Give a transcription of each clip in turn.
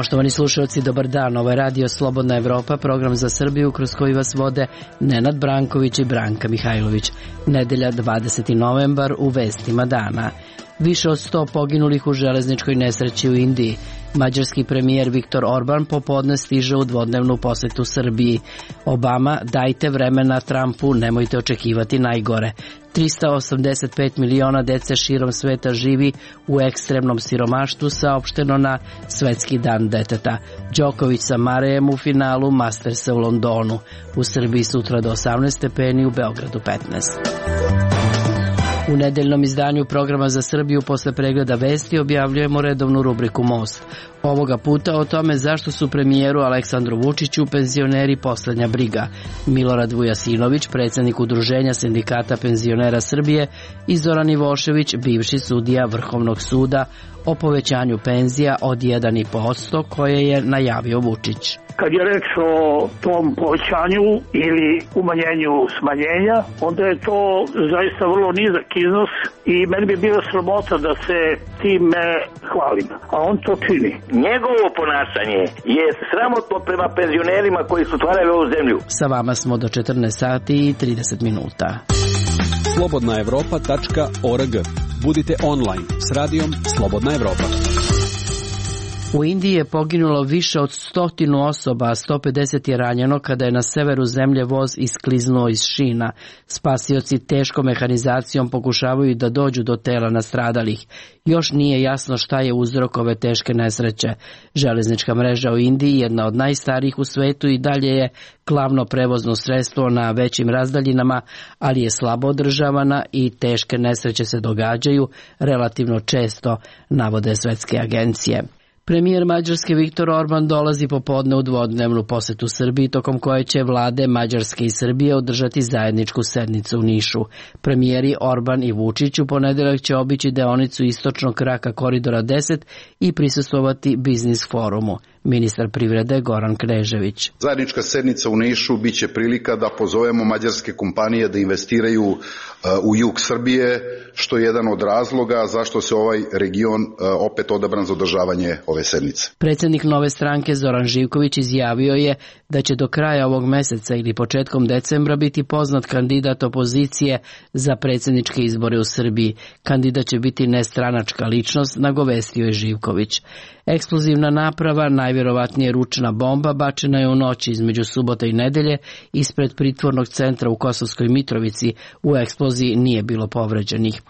Poštovani slušalci, dobar dan. Ovo je Radio Slobodna Evropa, program za Srbiju kroz koji vas vode Nenad Branković i Branka Mihajlović. Nedelja 20. novembar u vestima dana. Više od 100 poginulih u železničkoj nesreći u Indiji. Mađarski premijer Viktor Orban popodne stiže u dvodnevnu posetu Srbiji. Obama: dajte vremena Trumpu, nemojte očekivati najgore. 385 miliona dece širom sveta živi u ekstremnom siromaštvu, saopšteno na Svetski dan deteta. Đoković sa Marejem u finalu Mastersa u Londonu. U Srbiji sutra do 18 stepeni, u Beogradu 15. U nedeljnom izdanju programa za Srbiju posle pregleda vesti objavljujemo redovnu rubriku Most. Ovoga puta o tome zašto su premijeru Aleksandru Vučiću penzioneri poslednja briga. Milorad Vujasinović, predsjednik Udruženja sindikata penzionera Srbije, i Zoran Ivošević, bivši sudija Vrhovnog suda, o povećanju penzija od 1,5% koje je najavio Vučić. Kad je reč o tom povećanju ili umanjenju smanjenja, onda je to zaista vrlo nizak iznos i meni bi bilo sramota da se time hvalim, a on to čini. Njegovo ponašanje je sramotno prema penzionerima koji su stvarali ovu zemlju. Sa vama smo do 14 sati i 30 minuta. slobodnaevropa.org. Budite online s radijom Slobodna Evropa. U Indiji je poginulo više od 100 osoba, a 150 je ranjeno kada je na severu zemlje voz iskliznuo iz šina. Spasioci teškom mehanizacijom pokušavaju da dođu do tela nastradalih. Još nije jasno šta je uzrok ove teške nesreće. Železnička mreža u Indiji, jedna od najstarijih u svetu, i dalje je glavno prevozno sredstvo na većim razdaljinama, ali je slabo održavana i teške nesreće se događaju relativno često, navode svetske agencije. Premijer Mađarske Viktor Orban dolazi popodne u dvodnevnu posetu Srbiji, tokom koje će vlade Mađarske i Srbije održati zajedničku sednicu u Nišu. Premijeri Orban i Vučić u ponedeljak će obići deonicu istočnog kraka koridora 10 i prisustvovati biznis forumu. Ministar privrede Goran Knežević. Zajednička sednica u Nišu biće prilika da pozovemo mađarske kompanije da investiraju u jug Srbije, što je jedan od razloga zašto se ovaj region opet odabran za održavanje ove sednice. Predsjednik Nove stranke Zoran Živković izjavio je da će do kraja ovog meseca ili početkom decembra biti poznat kandidat opozicije za predsjedničke izbore u Srbiji. Kandidat će biti nestranačka ličnost, nagovestio je Živković. Eksplozivna naprava, najvjerovatnije ručna bomba, bačena je u noći između subota i nedelje ispred pritvornog centra u Kosovskoj Mitrovici. U eksploziji nije bilo povređenih.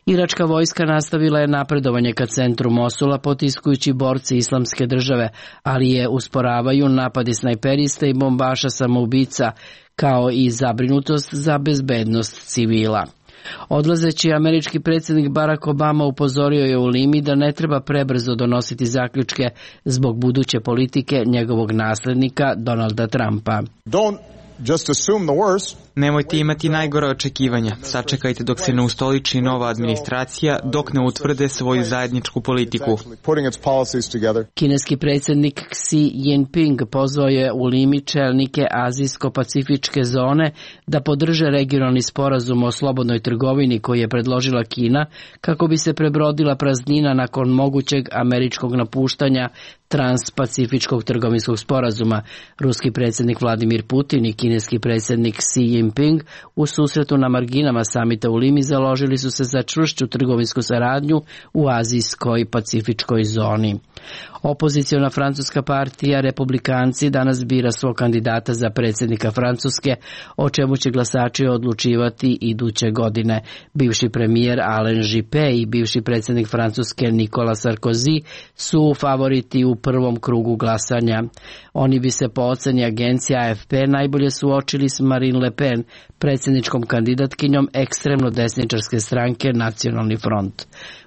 Iračka vojska nastavila je napredovanje ka centru Mosula, potiskujući borce Islamske države, ali je usporavaju napadi snajperista i bombaša samoubica, kao i zabrinutost za bezbednost civila. Odlazeći američki predsjednik Barack Obama upozorio je u Limi da ne treba prebrzo donositi zaključke zbog buduće politike njegovog naslednika Donalda Trumpa. Nemojte imati najgore očekivanja. Sačekajte dok se ne ustoliči nova administracija, dok ne utvrde svoju zajedničku politiku. Kineski predsjednik Xi Jinping pozvao je u Limi čelnike Azijsko-pacifičke zone da podrže regionalni sporazum o slobodnoj trgovini koji je predložila Kina kako bi se prebrodila praznina nakon mogućeg američkog napuštanja Transpacifičkog trgovinskog sporazuma. Ruski predsjednik Vladimir Putin i kineski predsjednik Xi Jinping u susretu na marginama samita u Limi založili su se za čvršću trgovinsku saradnju u azijskoj pacifičkoj zoni. Opoziciona francuska partija Republikanci danas bira svog kandidata za predsjednika Francuske, o čemu će glasači odlučivati iduće godine. Bivši premijer Alain Juppé i bivši predsjednik Francuske Nicolas Sarkozy su favoriti u prvom krugu glasanja. Oni bi se po oceni agencije AFP najbolje suočili s Marine Le Pen, predsjedničkom kandidatkinjom ekstremno desničarske stranke Nacionalni front.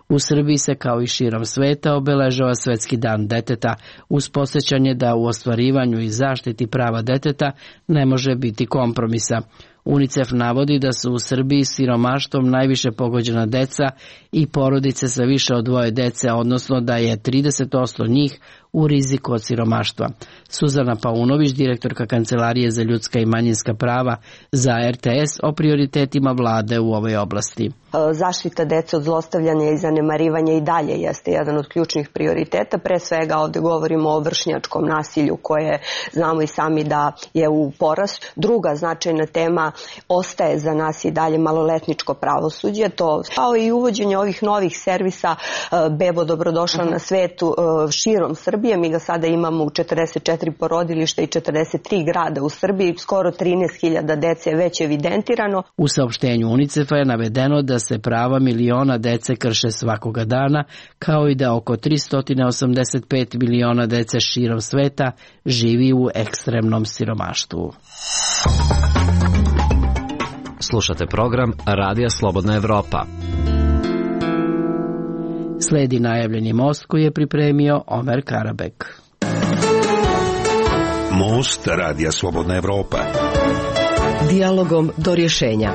U Srbiji se, kao i širom sveta, obeležava Svetski dan deteta, uz podsjećanje da u ostvarivanju i zaštiti prava deteta ne može biti kompromisa. UNICEF navodi da su u Srbiji siromaštvom najviše pogođena deca i porodice sa više od 2 dece, odnosno da je 30% njih u riziku od siromaštva. Suzana Paunović, direktorka Kancelarije za ljudska i manjinska prava za RTS, o prioritetima vlade u ovoj oblasti. Zaštita dece od zlostavljanja i zanemarivanja i dalje jeste jedan od ključnih prioriteta. Pre svega ovde govorimo o vršnjačkom nasilju koje znamo i sami da je u porastu. Druga značajna tema ostaje za nas i dalje maloletničko pravosuđe. To kao i uvođenje ovih novih servisa Bebo dobrodošla na svetu širom Srbije. Mi ga sada imamo u 44 porodilišta i 43 grada u Srbiji. Skoro 13.000 dece je već evidentirano. U saopštenju UNICEF-a je navedeno da se prava miliona dece krše svakoga dana, kao i da oko 385 miliona dece širom sveta živi u ekstremnom siromaštvu. Slušate program Radija Slobodna Evropa. Sledi najavljeni most koji je pripremio Omer Karabek. Most Radija Slobodna Evropa. Dijalogom do rješenja.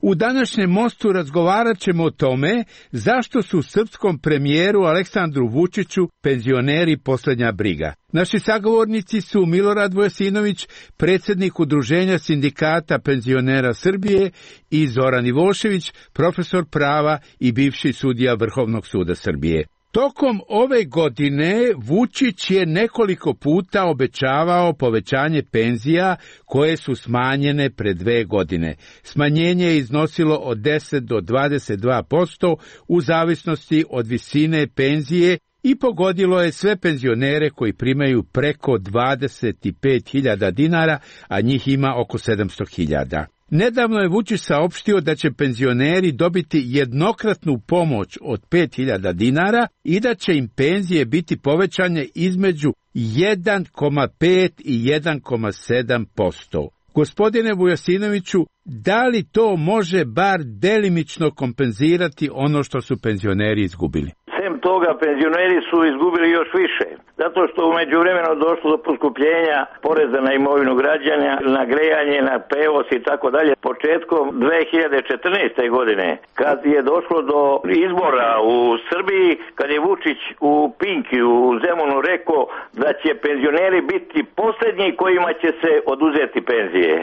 U današnjem mostu razgovarat ćemo o tome zašto su srpskom premijeru Aleksandru Vučiću penzioneri posljednja briga. Naši sagovornici su Milorad Vujasinović, predsjednik Udruženja sindikata penzionera Srbije, i Zoran Ivošević, profesor prava i bivši sudija Vrhovnog suda Srbije. Tokom ove godine Vučić je nekoliko puta obećavao povećanje penzija koje su smanjene pre 2 godine. Smanjenje je iznosilo od 10 do 22% u zavisnosti od visine penzije i pogodilo je sve penzionere koji primaju preko 25.000 dinara, a njih ima oko 700.000. Nedavno je Vučić saopštio da će penzioneri dobiti jednokratnu pomoć od 5.000 dinara i da će im penzije biti povećane između 1,5 i 1,7%. Gospodine Vujasinoviću, da li to može bar delimično kompenzirati ono što su penzioneri izgubili? Sem toga, penzioneri su izgubili još više, zato što u međuvremenu došlo do poskupljenja poreza na imovinu građana, na grejanje, na prevoz i tako dalje. Početkom 2014. godine, kad je došlo do izbora u Srbiji, kad je Vučić u Pinki, u Zemunu rekao da će penzioneri biti posljednji kojima će se oduzeti penzije.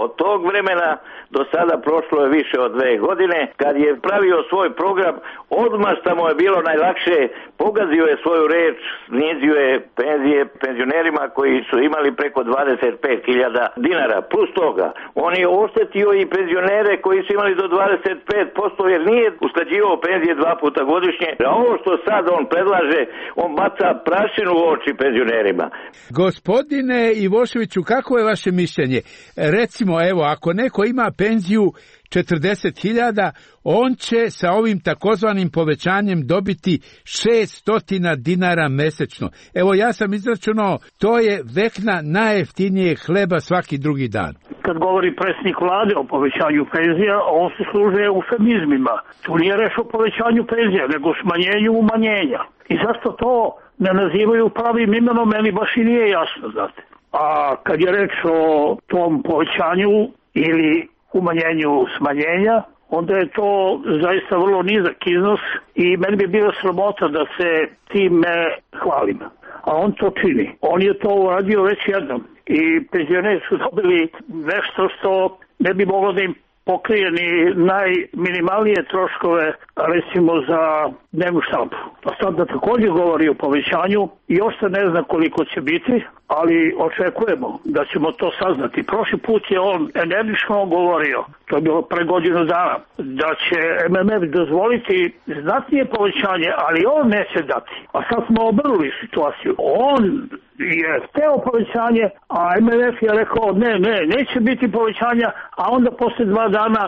Od tog vremena do sada prošlo je više od 2 godine. Kad je pravio svoj program, odmah što mu je bilo najlakše, pogazio je svoju reč, snizio je penzije penzionerima koji su imali preko 25.000 dinara. Plus toga, on je oštetio i penzionere koji su imali do 25%, jer nije usklađivao penzije 2 puta godišnje. A ovo što sad on predlaže, on baca prašinu u oči penzionerima. Gospodine Ivoševiću, kako je vaše mišljenje? Recimo, evo, ako neko ima penziju 40.000, on će sa ovim takozvanim povećanjem dobiti 600 dinara mesečno. Evo, ja sam izračunao, to je vekna najjeftinije hleba svaki drugi dan. Kad govori predsjednik vlade o povećanju penzija, on se služe eufemizmima. Tu nije reč o povećanju penzija, nego smanjenju umanjenja. I zašto to ne nazivaju pravim imenom, meni baš i nije jasno, znate. A kad je reč o tom povećanju ili umanjenju smanjenja, onda je to zaista vrlo nizak iznos i meni bi bila sramota da se time hvalim. A on to čini. On je to uradio već jednom i penzioneri su dobili nešto što ne bi moglo da im pokrije ni najminimalnije troškove, recimo za dnevnu štampu. A sad da također govori o povećanju, još se ne zna koliko će biti, ali očekujemo da ćemo to saznati. Prošli put je on energično govorio, to je bilo pre godinu dana, da će MMF dozvoliti znatnije povećanje, ali on neće dati. A sad smo obrnuli situaciju. On je hteo povećanje, a MMF je rekao neće biti povećanja, a onda posle 2 dana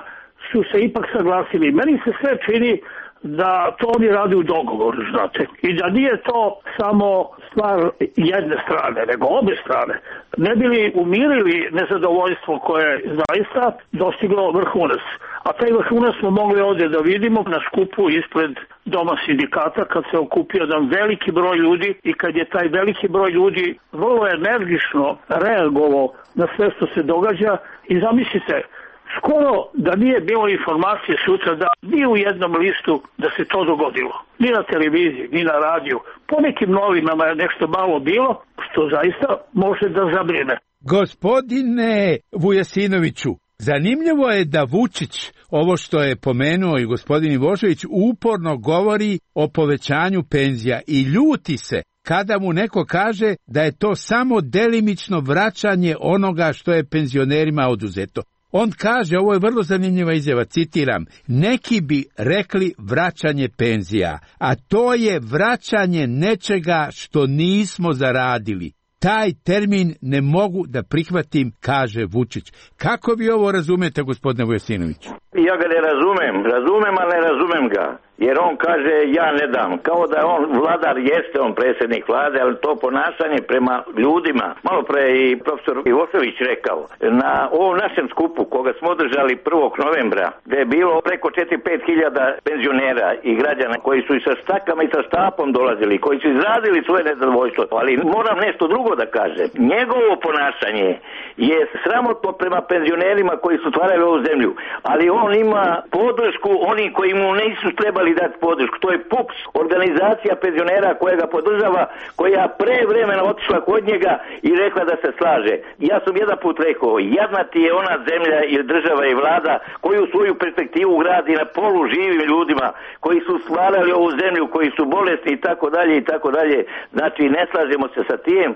su se ipak saglasili. Meni se sve čini da to oni radi u dogovoru, znate. I da nije to samo stvar jedne strane, nego obe strane. Ne bi li umirili nezadovoljstvo koje je zaista dostiglo vrhunac. A taj vrhunac smo mogli ovdje da vidimo na skupu ispred Doma sindikata, kad se okupio jedan veliki broj ljudi i kad je taj veliki broj ljudi vrlo energično reagovao na sve što se događa. I zamislite, Skoro da nije bilo informacije sutra da ni u jednom listu da se to dogodilo. Ni na televiziji, ni na radiju. Po nekim novinama je nešto malo bilo, što zaista može da zabrine. Gospodine Vujasinoviću, zanimljivo je da Vučić, ovo što je pomenuo i gospodin Ivošević, uporno govori o povećanju penzija i ljuti se kada mu neko kaže da je to samo delimično vraćanje onoga što je penzionerima oduzeto. On kaže, ovo je vrlo zanimljiva izjava, citiram, neki bi rekli vraćanje penzija, a to je vraćanje nečega što nismo zaradili. Taj termin ne mogu da prihvatim, kaže Vučić. Kako vi ovo razumete, gospodine Vujasinović? Ja ga ne razumem, ali ne razumem ga. Jer on kaže ja ne dam. Kao da on vladar, jeste on predsjednik vlade, ali to ponašanje prema ljudima. Malo pre i profesor Ivošević rekao, na ovom našem skupu koga smo održali 1. novembra, gde je bilo preko 4-5 hiljada penzionera i građana koji su i sa štakama i sa štapom dolazili, koji su izrazili svoje nezadovoljstvo. Ali moram nešto drugo da kažem. Njegovo ponašanje je sramotno prema penzionerima koji su stvarali ovu zemlju, ali on ima podršku onih koji mu nisu trebali dati podršku. To je PUPS, organizacija penzionera koja ga podržava, koja pre vremena otišla kod njega i rekla da se slaže. Ja sam jedan put rekao, jadna ti je ona zemlja ili država i vlada koju svoju perspektivu gradi na polu živim ljudima koji su stvarali ovu zemlju, koji su bolesni i tako dalje i tako dalje. Znači ne slažemo se sa tim,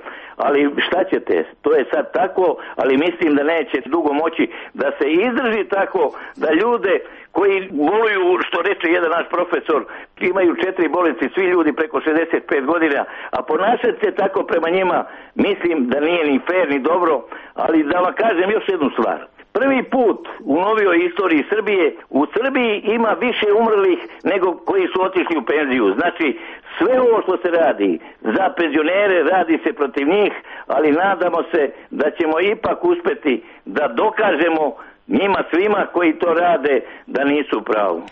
ali šta ćete? To je sad tako, ali mislim da neće dugo moći da se izdrži tako da ljude koji boluju, što reče jedan naš profesor, imaju 4 bolesti, svi ljudi preko 65 godina, a ponašati se tako prema njima, mislim da nije ni fair, ni dobro, ali da vam kažem još jednu stvar. Prvi put u novijoj istoriji Srbije, u Srbiji ima više umrlih nego koji su otišli u penziju. Znači, sve ovo što se radi za penzionere, radi se protiv njih, ali nadamo se da ćemo ipak uspeti da dokažemo njima svima koji to rade da nisu pravu.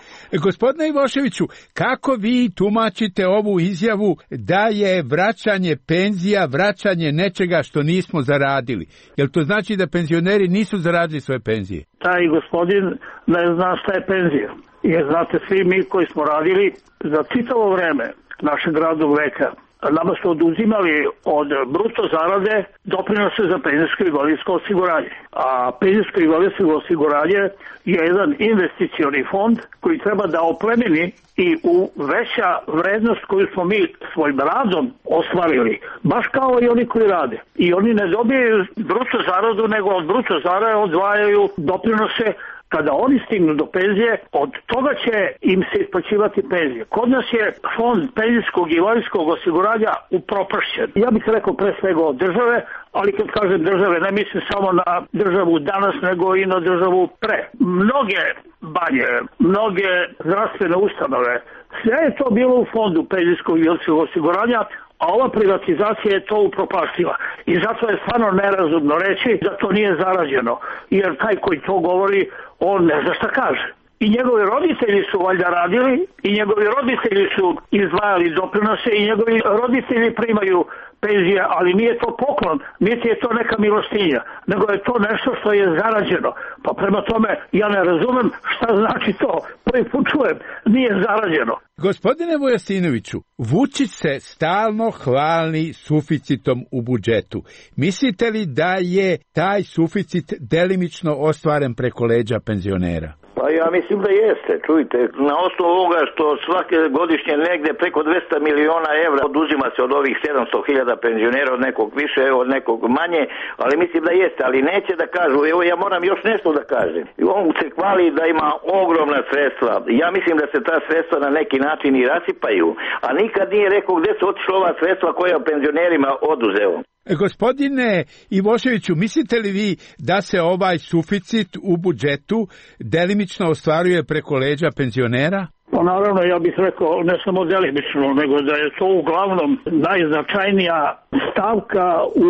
Gospodine Ivoševiću, kako vi tumačite ovu izjavu da je vraćanje penzija, vraćanje nečega što nismo zaradili? Jel to znači da penzioneri nisu zaradili svoje penzije? Taj gospodin ne zna šta je penzija. Jer znate, svi mi koji smo radili za čitavo vreme našeg radnog veka, nama su oduzimali od bruto zarade doprinose za penzijsko i invalidsko osiguranje. A penzijsko i invalidsko osiguranje je jedan investicioni fond koji treba da oplemeni i u veća vrednost koju smo mi svojim radom ostvarili, baš kao i oni koji rade. I oni ne dobijaju bruto zaradu, nego od bruto zarade odvajaju doprinose. Kada oni stignu do penzije, od toga će im se isplaćivati penzije. Kod nas je fond penzijskog i invalidskog osiguranja upropašćen. Ja bih rekao pre svega od države, ali kad kažem države, ne mislim samo na državu danas, nego i na državu pre. Mnoge banje, mnoge zdravstvene ustanove, sve je to bilo u fondu penzijskog i invalidskog osiguranja, a ova privatizacija je to upropaštila. I zato je stvarno nerazumno reći da to nije zarađeno. Jer taj koji to govori, on ne zna šta kaže. I njegovi roditelji su valjda radili, i njegovi roditelji su izdvajali doprinose, i njegovi roditelji primaju penzije, ali nije to poklon, niti je to neka milostinja, nego je to nešto što je zarađeno. Pa prema tome, ja ne razumem šta znači to. Prvi put čujem, nije zarađeno. Gospodine Vujasinoviću, Vučić se stalno hvali suficitom u budžetu. Mislite li da je taj suficit delimično ostvaren preko leđa penzionera? Pa ja mislim da jeste, čujte, na osnovu ovoga što svake godišnje negde preko 200 miliona evra oduzima se od ovih 700.000 penzionera, od nekog više, od nekog manje, ali mislim da jeste, ali neće da kažu, evo ja moram još nešto da kažem. On se hvali da ima ogromna sredstva, ja mislim da se ta sredstva na neki način i rasipaju, a nikad nije rekao gde su otišla ova sredstva koja penzionerima oduzeo. Gospodine Ivoševiću, mislite li vi da se ovaj suficit u budžetu delimično ostvaruje preko leđa penzionera? Pa naravno, ja bih rekao ne samo delimično, nego da je to uglavnom najznačajnija stavka u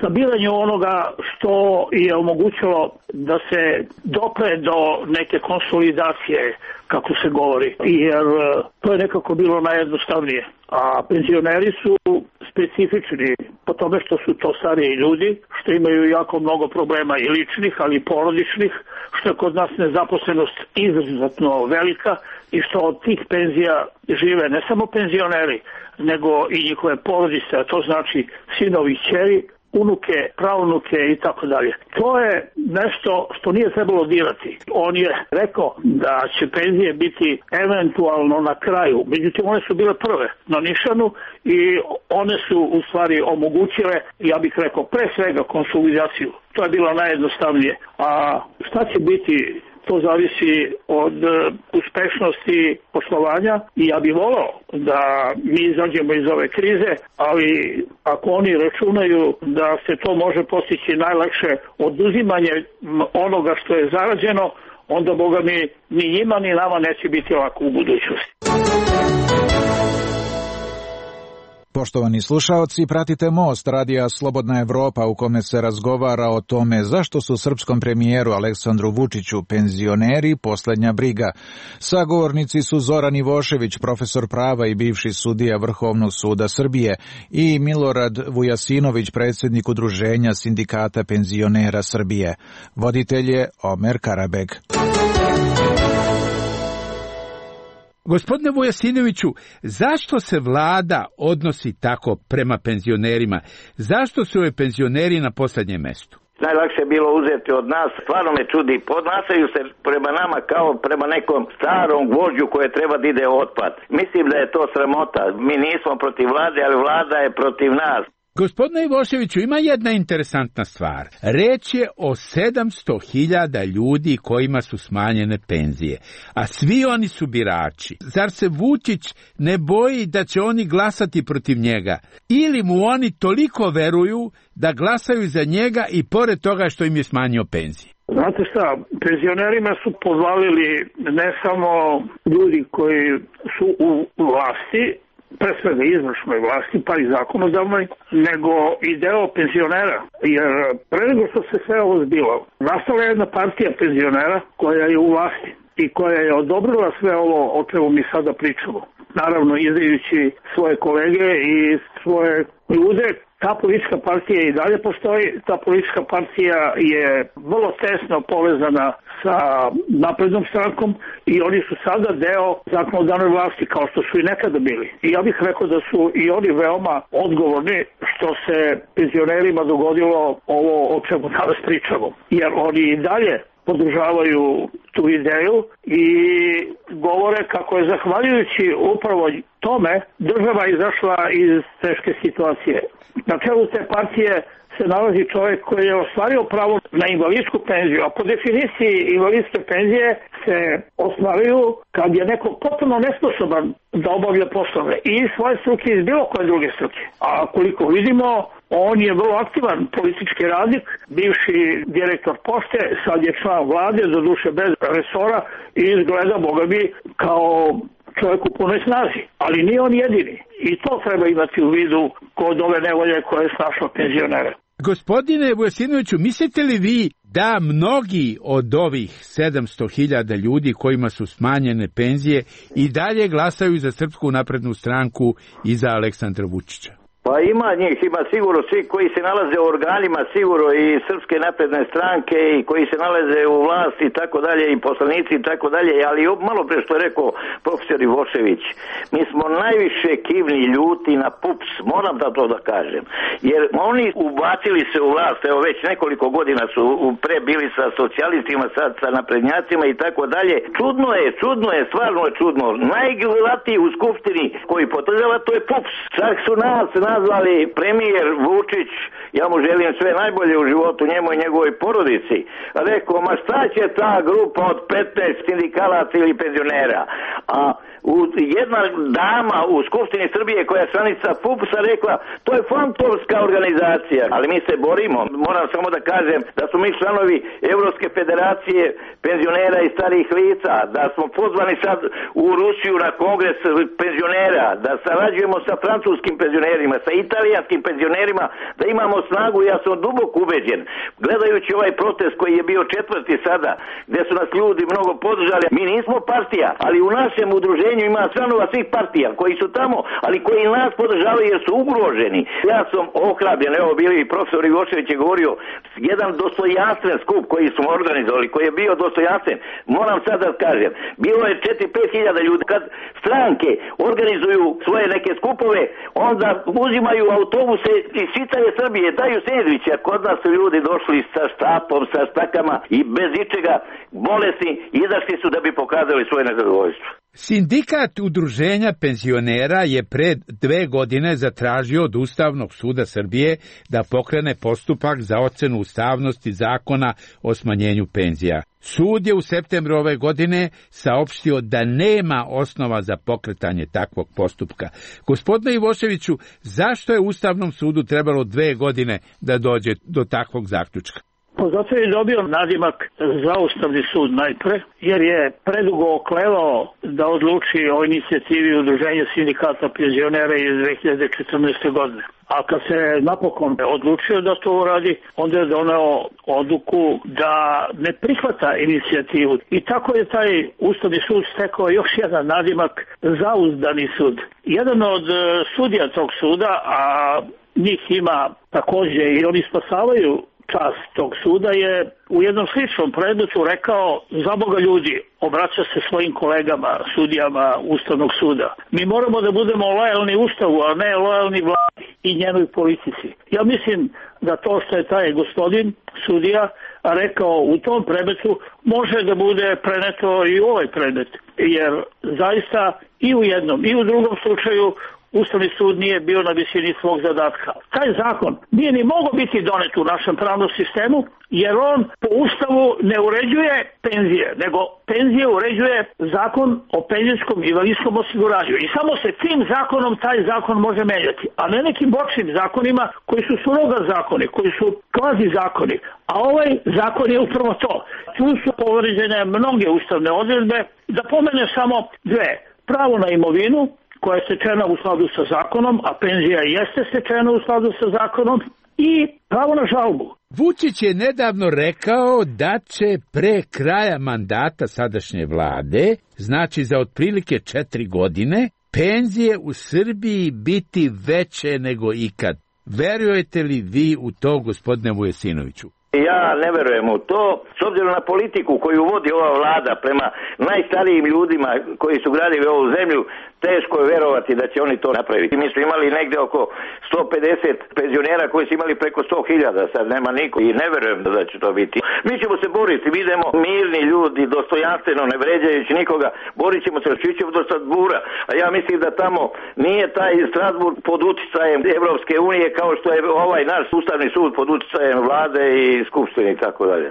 sabiranju onoga što je omogućilo da se dopre do neke konsolidacije, kako se govori, jer to je nekako bilo najjednostavnije. A penzioneri su specifični po tome što su to stariji ljudi, što imaju jako mnogo problema i ličnih, ali i porodičnih, što je kod nas nezaposlenost izuzetno velika i što od tih penzija žive ne samo penzioneri, nego i njihove porodice, a to znači sinovi, kćeri, unuke, pravunuke i tako dalje. To je nešto što nije trebalo dirati. On je rekao da će penzije biti eventualno na kraju. Međutim, one su bile prve na nišanu i one su u stvari omogućile, ja bih rekao, pre svega konsolidaciju. To je bilo najjednostavnije. A šta će biti, to zavisi od uspešnosti poslovanja i ja bih volao da mi izađemo iz ove krize, ali ako oni računaju da se to može postići najlakše oduzimanje onoga što je zarađeno, onda Boga mi ni njima ni nama neće biti lako u budućnosti. Poštovani slušaoci, pratite Most Radija Slobodna Evropa u kome se razgovara o tome zašto su srpskom premijeru Aleksandru Vučiću penzioneri poslednja briga. Sagovornici su Zoran Ivošević, profesor prava i bivši sudija Vrhovnog suda Srbije, i Milorad Vujasinović, predsjednik Udruženja sindikata penzionera Srbije. Voditelj je Omer Karabeg. Gospodine Vujasinoviću, zašto se vlada odnosi tako prema penzionerima? Zašto su ovi penzioneri na poslednjem mestu? Najlakše je bilo uzeti od nas, stvarno me čudi, podnašaju se prema nama kao prema nekom starom gvožđu koje treba da ide otpad. Mislim da je to sramota, mi nismo protiv vlade, ali vlada je protiv nas. Gospodine Ivoševiću, ima jedna interesantna stvar. Reč je o 700.000 ljudi kojima su smanjene penzije, a svi oni su birači. Zar se Vučić ne boji da će oni glasati protiv njega? Ili mu oni toliko veruju da glasaju za njega i pored toga što im je smanjio penzije? Znate šta, penzionerima su podvalili ne samo ljudi koji su u vlasti, pre svega izvršnoj vlasti, pa i zakonodavnoj, nego i deo penzionera. Jer pre nego što se sve ovo zbilo, nastala je jedna partija penzionera koja je u vlasti i koja je odobrila sve ovo o čemu mi sada pričamo. Naravno, izdajući svoje kolege i svoje ljude. Ta politička partija i dalje postoji. Ta politička partija je vrlo tesno povezana sa naprednom strankom i oni su sada deo zakonodavne vlasti kao što su i nekada bili. I ja bih rekao da su i oni veoma odgovorni što se penzionerima dogodilo ovo o čemu danas pričamo. Jer oni i dalje podržavaju tu ideju i govore kako je zahvaljujući upravo tome država izašla iz teške situacije. Na čelu te partije se nalazi čovjek koji je ostvario pravo na invalidsku penziju, a po definiciji invalidske penzije se ostvaruju kad je neko potpuno nesposoban da obavlja poslove i svoje struke iz bilo koje druge struke. A koliko vidimo, on je vrlo aktivan politički radnik, bivši direktor pošte, sad je član vlade, doduše bez resora i izgleda, Boga mi, kao čovjek u punoj snazi. Ali nije on jedini. I to treba imati u vidu kod ove nevolje koje je snašla penzionere. Gospodine Vujasinoviću, mislite li vi da mnogi od ovih 700.000 ljudi kojima su smanjene penzije i dalje glasaju za Srpsku naprednu stranku i za Aleksandra Vučića? Pa ima njih, ima sigurno svi koji se nalaze u organima, sigurno i Srpske napredne stranke i koji se nalaze u vlasti i tako dalje i poslanici i tako dalje, ali malo pre što je rekao profesor Ivošević, mi smo najviše kivni, ljuti na PUPS, moram da to da kažem, jer oni ubacili se u vlast, evo već nekoliko godina su pre bili sa socijalistima, sad sa naprednjacima i tako dalje. Čudno je, stvarno je čudno. Najgledatiji u skupštini koji podržava to je PUPS. Čak su nas nazvali premijer Vučić, ja mu želim sve najbolje u životu, njemu i njegovoj porodici. Rekao, ma šta će ta grupa od 15 sindikalaca ili penzionera? A jedna dama u Skupštini Srbije koja je članica PUPS-a rekla, to je fantomska organizacija, ali mi se borimo. Moram samo da kažem da su mi članovi Evropske federacije penzionera i starih lica, da smo pozvani sad u Rusiju na kongres penzionera, da sarađujemo sa francuskim penzionerima, sa italijanskim penzionerima, da imamo snagu. Ja sam duboko ubeđen, gledajući ovaj protest koji je bio 4. sada, gde su nas ljudi mnogo podržali. Mi nismo partija, ali u našem udruženju udruženju ima članova svih partija koji su tamo, ali koji nas podržavaju jer su ugroženi. Ja sam ohrabren, evo bili i profesor Ivošević je govorio, jedan dostojanstven skup koji smo organizovali, koji je bio dostojanstven, moram sad da kažem, bilo je 4-5 hiljada ljudi. Kad stranke organizuju svoje neke skupove, onda uzimaju autobuse iz čitave Srbije, daju sendviče, a kod nas su ljudi došli sa štapom, sa štakama i bez ičega bolesni, izašli su da bi pokazali svoje nezadovoljstvo. Sindikat udruženja penzionera je pred 2 godine zatražio od Ustavnog suda Srbije da pokrene postupak za ocenu ustavnosti zakona o smanjenju penzija. Sud je u septembru ove godine saopštio da nema osnova za pokretanje takvog postupka. Gospodine Ivoševiću, zašto je Ustavnom sudu trebalo 2 godine da dođe do takvog zaključka? Zato je dobio nadimak za Ustavni sud najpre, jer je predugo oklevao da odluči o inicijativi udruženja sindikata penzionera iz 2014. godine. A kad se napokon odlučio da to uradi, onda je doneo odluku da ne prihvata inicijativu. I tako je taj Ustavni sud stekao još jedan nadimak Zauzdani sud. Jedan od sudija tog suda, a njih ima također i oni spasavaju čast tog suda, je u jednom sličnom predmetu rekao: za Boga ljudi, obraća se svojim kolegama, sudijama Ustavnog suda. Mi moramo da budemo lojalni Ustavu, a ne lojalni vladi i njenoj politici. Ja mislim da to što je taj gospodin sudija rekao u tom predmetu može da bude preneto i u ovaj predmet, jer zaista i u jednom i u drugom slučaju Ustavni sud nije bio na visini svog zadatka. Taj zakon nije ni mogao biti donet u našem pravnom sistemu, jer on po Ustavu ne uređuje penzije, nego penzije uređuje zakon o penzijskom i invalidskom osiguranju. I samo se tim zakonom taj zakon može menjati, a ne nekim bočnim zakonima koji su suroga zakoni, koji su kvazi zakoni. A ovaj zakon je upravo to. Tu su povređene mnoge ustavne odredbe, da pomene samo 2. Pravo na imovinu, koja je stečena u skladu sa zakonom, a penzija jeste stečena u skladu sa zakonom, i pravo na žalbu. Vučić je nedavno rekao da će pre kraja mandata sadašnje vlade, znači za otprilike 4 godine, penzije u Srbiji biti veće nego ikad. Verujete li vi u to, gospodine Vujesinoviću? Ja ne verujem u to, s obzirom na politiku koju vodi ova vlada prema najstarijim ljudima koji su gradili ovu zemlju, teško je verovati da će oni to napraviti. Mi smo imali negde oko 150 penzionera koji su imali preko 100.000, sad nema niko i ne verujem da će to biti. Mi ćemo se boriti, mi idemo mirni ljudi, dostojanstveno, ne vređajući nikoga, borit ćemo se, ćemo do Strasbura, a ja mislim da tamo nije taj Strasburg pod uticajem Evropske unije kao što je ovaj naš Ustavni sud pod uticajem vlade i skupštine i tako dalje.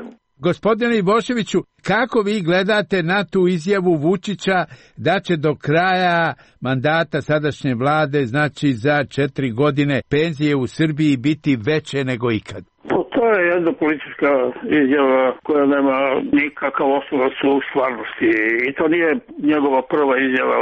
Gospodine Ivoševiću, kako vi gledate na tu izjavu Vučića da će do kraja mandata sadašnje vlade, znači za 4 godine, penzije u Srbiji biti veće nego ikad? To je jedna politička izjava koja nema nikakav osnovac u stvarnosti i to nije njegova prva izjava.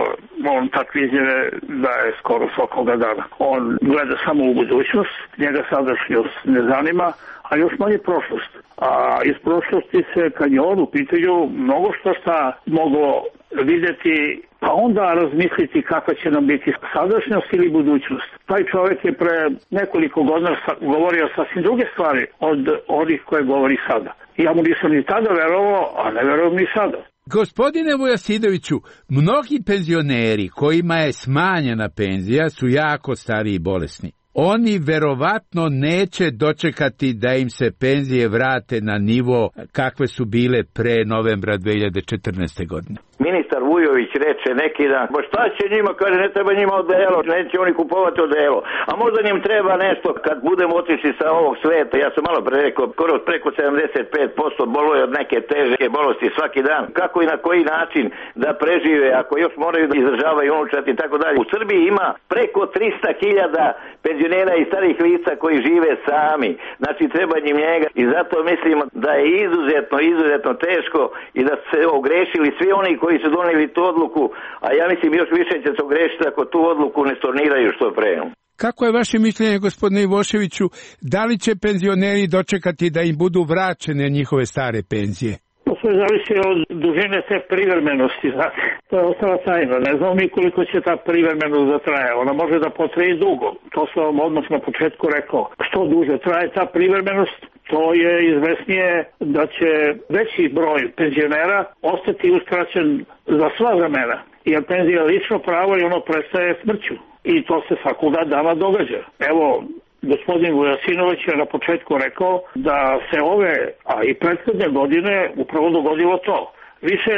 On takve izjave daje skoro svakoga dana. On gleda samo u budućnost, njega sadašnjost ne zanima, a još manje prošlost. A iz prošlosti se, kad je on u pitanju, mnogo šta moglo vidjeti, pa onda razmisliti kakva će nam biti sadašnjost ili budućnost. Taj čovjek je pre nekoliko godina govorio sasvim druge stvari od onih koje govori sada. Ja mu nisam ni tada verovao, a ne verujem ni sada. Gospodine Vujasidoviću, mnogi penzioneri kojima je smanjena penzija su jako stari i bolesni. Oni verovatno neće dočekati da im se penzije vrate na nivo kakve su bile pre novembra 2014. godine. Ministar Vujović reče neki dan, ba šta će njima, kaže, ne treba njima odelo, neće oni kupovati odelo, a možda njim treba nešto kad budemo otišli sa ovog sveta. Ja sam malo pre rekao, skoro preko 75% boluje od neke teže bolesti svaki dan. Kako i na koji način da prežive, ako još moraju da izdržavaju unučati i tako dalje. U Srbiji ima preko 300.000 penzionera i starih lica koji žive sami, znači treba njim njega i zato mislim da je izuzetno teško i da se ogrešili svi oni koji su donijeli tu odluku, a ja mislim još više će se ogrešiti ako tu odluku ne storniraju što pre. Kako je vaše mišljenje, gospodine Ivoševiću, da li će penzioneri dočekati da im budu vraćene njihove stare penzije? sve zavisi od dužine te privremenosti, znate. To je ostala tajna. Ne znamo mi koliko će ta privremenost da traje. Ona može da potraje dugo. To sam vam odmah na početku rekao. Što duže traje ta privremenost, to je izvesnije da će veći broj penzionera ostati uskraćen za sva vremena. Jer penzija je lično pravo i ono prestaje smrću. I to se svakoga dana događa. Evo, gospodin Vujasinović je na početku rekao da se ove, a i prethodne godine upravo dogodilo to. Više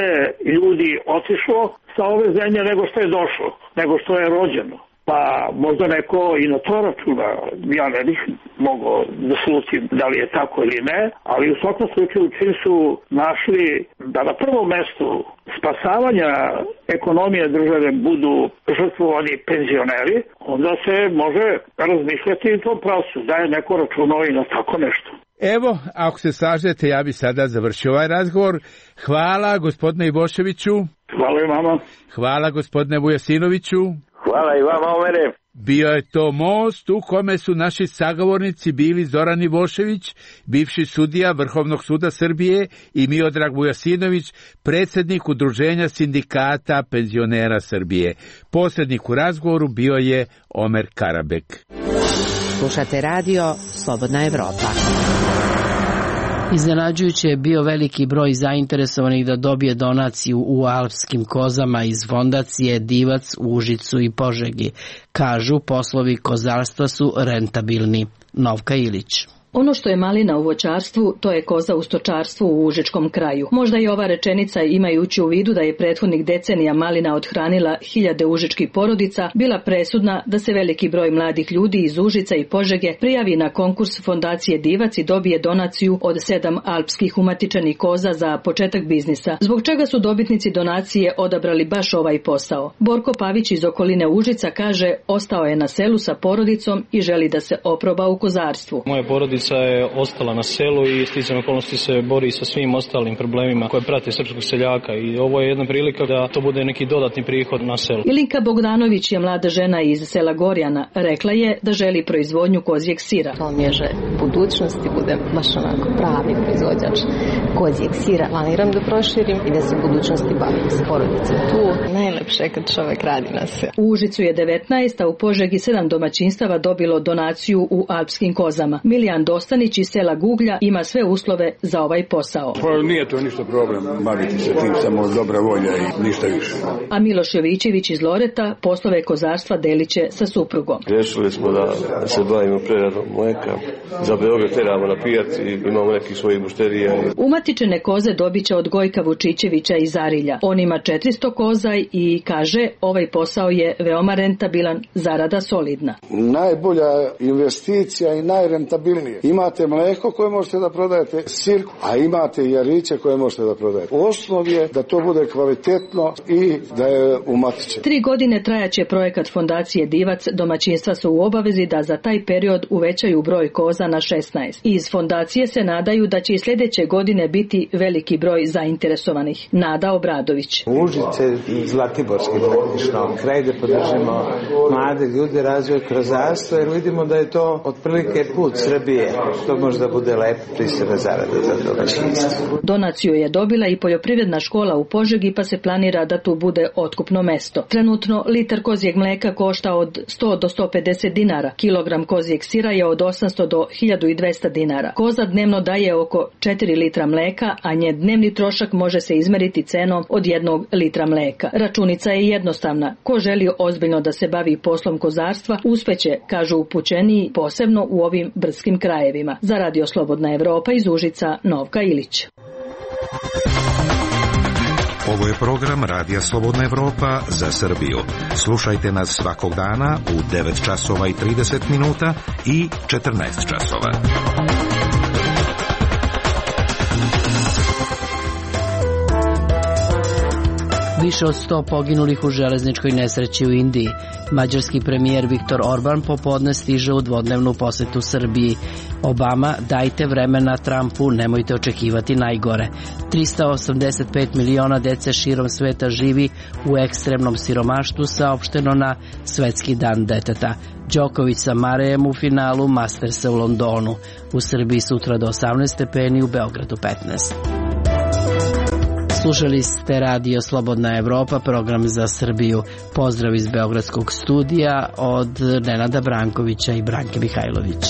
ljudi otišlo sa ove zemlje nego što je došlo, nego što je rođeno. Pa možda neko i na to računa, ja ne bih mogao da slutim da li je tako ili ne, ali u svakom slučaju čim su našli da na prvom mestu spasavanja ekonomije države budu žrtvovani penzioneri, onda se može razmišljati i to pravcu, da je neko računao i na tako nešto. Evo, ako se slažete, ja bi sada završio ovaj razgovor. Hvala gospodine Ivoševiću. Hvala i vama. Hvala gospodine Vujasinoviću. Hvala i vama, Omere. Bio je to most u kome su naši sagovornici bili Zoran Ivošević, bivši sudija Vrhovnog suda Srbije, i Miodrag Vujasinović, predsjednik Udruženja sindikata penzionera Srbije. Posrednik u razgovoru bio je Omer Karabek. Slušate radio Slobodna Evropa. Iznenađujuće je bio veliki broj zainteresovanih da dobije donaciju u alpskim kozama iz fondacije Divac u Užicu i Požegi. Kažu, poslovi kozarstva su rentabilni. Novka Ilić. Ono što je malina u voćarstvu, to je koza u stočarstvu u užičkom kraju. Možda i ova rečenica, imajući u vidu da je prethodnih decenija malina odhranila hiljade užičkih porodica, bila presudna da se veliki broj mladih ljudi iz Užica i Požege prijavi na konkurs fondacije Divac i dobije donaciju od 7 alpskih umatičenih koza za početak biznisa. Zbog čega su dobitnici donacije odabrali baš ovaj posao? Borko Pavić iz okoline Užica kaže, ostao je na selu sa porodicom i želi da se oproba u kozarstvu. Moja porodica je ostala na selu i sticajem okolnosti se bori sa svim ostalim problemima koje prate srpskog seljaka i ovo je jedna prilika da to bude neki dodatni prihod na selu. Ilinka Bogdanović je mlada žena iz sela Gorjana. Rekla je da želi proizvodnju kozjeg sira. To mi je želja budućnosti, budem baš onako pravi proizvođač kozjeg sira. Planiram da proširim i da se u budućnosti bavim s porodicom tu. Najlepše kad čovek radi na sve. U Užicu je 19, a u Požegi 7 domaćinstava dobilo donaciju u alpskim kozama. Milijan Dostanić iz sela Guglja ima sve uslove za ovaj posao. Pa nije to ništa problem, baviti se tim, samo dobra volja i ništa više. A Miloš Jovićević iz Loreta poslove kozarstva deliće sa suprugom. Rešili smo da se bavimo preradom mleka, za Beograd teramo na pijac i imamo nekih svojih mušterija. Umatičene koze dobiće od Gojka Vučićevića iz Arilja. On ima 400 koza i kaže, ovaj posao je veoma rentabilan, zarada solidna. Najbolja investicija i najrentabilnije. Imate mleko koje možete da prodajete, sir, a imate i jariće koje možete da prodajete. Osnov je da to bude kvalitetno i da je umatičeno. 3 godine trajaće projekat fondacije Divac. Domaćinstva su u obavezi da za taj period uvećaju broj koza na 16. Iz fondacije se nadaju da će i sljedeće godine biti veliki broj zainteresovanih. Nada Obradović. Užice Zlatiborski praktično kraj da podržimo mlade ljude, razvoj kozarstva, jer vidimo da je to otprilike put Srbije. To možda bude lepo pristojna zarada za domaćinstvo. Donaciju je dobila i poljoprivredna škola u Požegi, pa se planira da tu bude otkupno mesto. Trenutno litar kozjeg mleka košta od 100 do 150 dinara. Kilogram kozjeg sira je od 800 do 1200 dinara. Koza dnevno daje oko 4 litra mleka, a njen dnevni trošak može se izmeriti cenom od 1 litra mleka. Računica je jednostavna. Ko želi ozbiljno da se bavi poslom kozarstva, uspeće, kažu upućeniji, posebno u ovim brdskim krajevima. Za Radio Slobodna Evropa iz Užica, Novka Ilić. Ovo je program Radija Slobodna Evropa za Srbiju. Slušajte nas svakog dana u 9 časova i 30 minuta i 14 časova. Više od 100 poginulih u železničkoj nesreći u Indiji. Mađarski premijer Viktor Orban popodne stiže u dvodnevnu posetu Srbiji. Obama, dajte vremena Trumpu, nemojte očekivati najgore. 385 miliona dece širom sveta živi u ekstremnom siromaštvu, saopšteno na Svetski dan deteta. Đoković sa Marejem u finalu Mastersa u Londonu. U Srbiji sutra do 18 stepeni, u Beogradu 15. Slušali ste Radio Slobodna Evropa, program za Srbiju. Pozdrav iz Beogradskog studija od Nenada Brankovića i Branke Mihajlović.